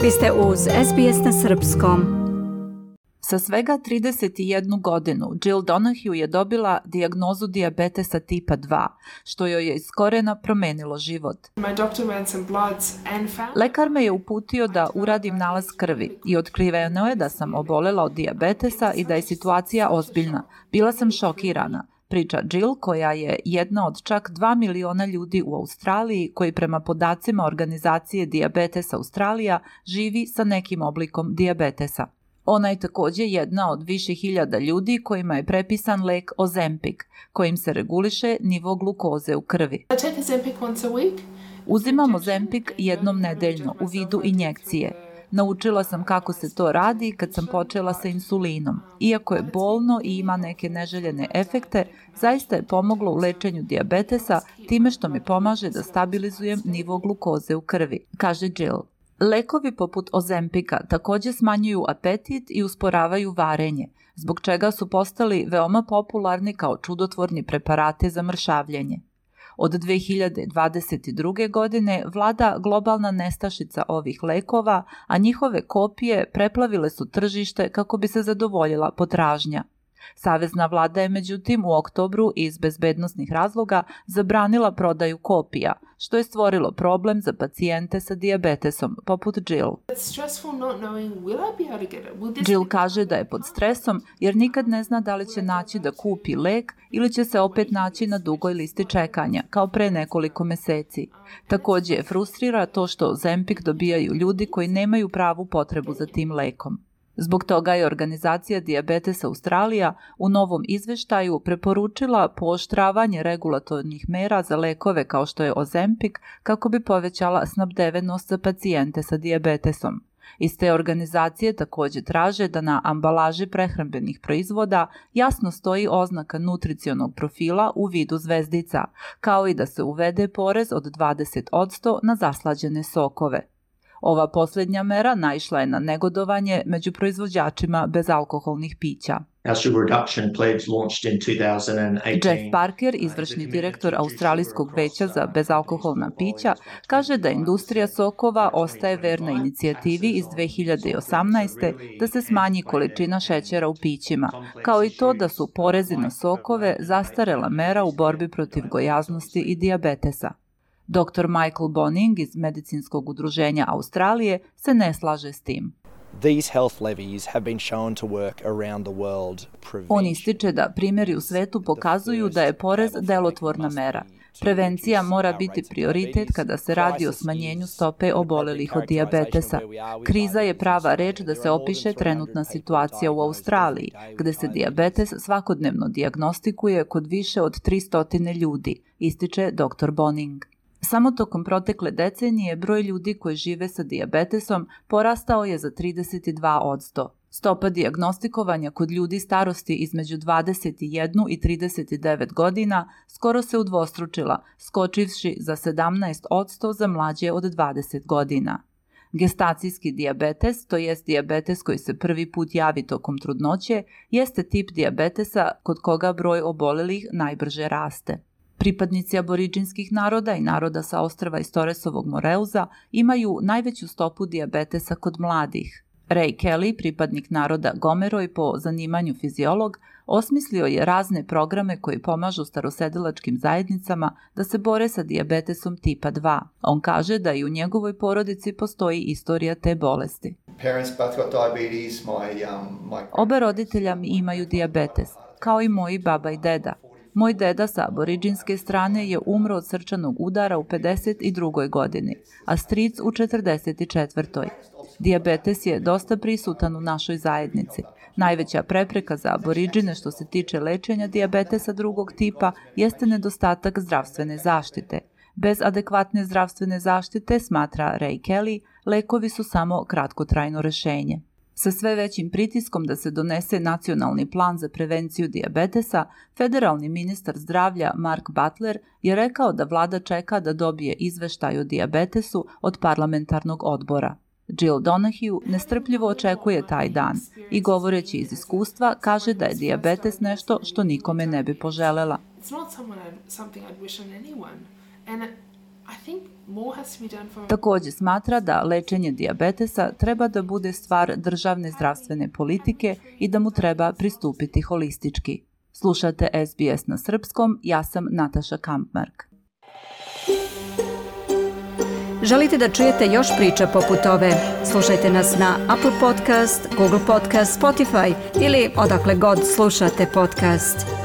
Vi ste uz SBS na srpskom. Sa svega 31 godinu, Jill Donahue je dobila dijagnozu dijabetesa tipa 2, što joj je iz korena promenilo život. Lekar me je uputio da uradim nalaz krvi i otkriveno je da sam obolela od dijabetesa i da je situacija ozbiljna. Bila sam šokirana, priča Jill, koja je jedna od čak 2 miliona ljudi u Australiji koji prema podacima organizacije Diabetes Australija živi sa nekim oblikom dijabetesa. Ona je također jedna od više hiljada ljudi kojima je prepisan lek Ozempic, kojim se reguliše nivo glukoze u krvi. Uzimam Ozempic jednom nedeljno u vidu injekcije. Naučila sam kako se to radi kad sam počela sa insulinom. Iako je bolno i ima neke neželjene efekte, zaista je pomoglo u lečenju dijabetesa time što mi pomaže da stabilizujem nivo glukoze u krvi, kaže Jill. Lekovi poput Ozempika također smanjuju apetit i usporavaju varenje, zbog čega su postali veoma popularni kao čudotvorni preparati za mršavljenje. Od 2022. godine vlada globalna nestašica ovih lekova, a njihove kopije preplavile su tržište kako bi se zadovoljila potražnja. Savezna vlada je međutim u oktobru iz bezbednosnih razloga zabranila prodaju kopija, što je stvorilo problem za pacijente sa dijabetesom, poput Jill. Jill kaže da je pod stresom jer nikad ne zna da li će naći da kupi lek ili će se opet naći na dugoj listi čekanja, kao pre nekoliko meseci. Također je frustrira to što Ozempic dobijaju ljudi koji nemaju pravu potrebu za tim lekom. Zbog toga je organizacija Diabetes Australija u novom izveštaju preporučila pooštravanje regulatornih mera za lekove kao što je Ozempic kako bi povećala snabdevenost za pacijente sa dijabetesom. Iz te organizacije također traže da na ambalaži prehrambenih proizvoda jasno stoji oznaka nutricionog profila u vidu zvezdica, kao i da se uvede porez od 20% na zaslađene sokove. Ova posljednja mera naišla je na negodovanje među proizvođačima bezalkoholnih pića. Jeff Parker, izvršni direktor Australijskog veća za bezalkoholna pića, kaže da industrija sokova ostaje verna inicijativi iz 2018. da se smanji količina šećera u pićima, kao i to da su porezi na sokove zastarela mera u borbi protiv gojaznosti i dijabetesa. Dr. Michael Bonning iz Medicinskog udruženja Australije se ne slaže s tim. On ističe da primjeri u svetu pokazuju da je porez delotvorna mera. Prevencija mora biti prioritet kada se radi o smanjenju stope obolelih od dijabetesa. Kriza je prava reč da se opiše trenutna situacija u Australiji, gde se dijabetes svakodnevno dijagnostikuje kod više od 300 ljudi, ističe dr. Bonning. Samo tokom protekle decenije broj ljudi koji žive sa dijabetesom porastao je za 32%. Stopa dijagnostikovanja kod ljudi starosti između 21 i 39 godina skoro se udvostručila, skočivši za 17% za mlađe od 20 godina. Gestacijski dijabetes, to jest dijabetes koji se prvi put javi tokom trudnoće, jeste tip dijabetesa kod koga broj obolelih najbrže raste. Pripadnici aboriđinskih naroda i naroda sa ostrva iz Torresovog Moreuza imaju najveću stopu dijabetesa kod mladih. Ray Kelly, pripadnik naroda Gomeroj po zanimanju fiziolog, osmislio je razne programe koji pomažu starosedilačkim zajednicama da se bore sa dijabetesom tipa 2. On kaže da i u njegovoj porodici postoji istorija te bolesti. Oba roditelja mi imaju dijabetes, kao i moji baba i deda. Moj deda sa aboriđinske strane je umro od srčanog udara u 52. godini, a stric u 44. Dijabetes je dosta prisutan u našoj zajednici. Najveća prepreka za aboriđine što se tiče lečenja dijabetesa drugog tipa jeste nedostatak zdravstvene zaštite. Bez adekvatne zdravstvene zaštite, smatra Ray Kelly, lekovi su samo kratkotrajno rešenje. Sa sve većim pritiskom da se donese nacionalni plan za prevenciju dijabetesa, federalni ministar zdravlja Mark Butler je rekao da vlada čeka da dobije izveštaj o dijabetesu od parlamentarnog odbora. Jill Donahue nestrpljivo očekuje taj dan i govoreći iz iskustva kaže da je dijabetes nešto što nikome ne bi poželela. Također smatra da lečenje dijabetesa treba da bude stvar državne zdravstvene politike i da mu treba pristupiti holistički. Slušate SBS na srpskom, ja sam Nataša Kampmark. Želite da čujete još priča poput ove? Slušajte nas na Apple Podcast, Google Podcast, Spotify ili odakle god slušate podcast.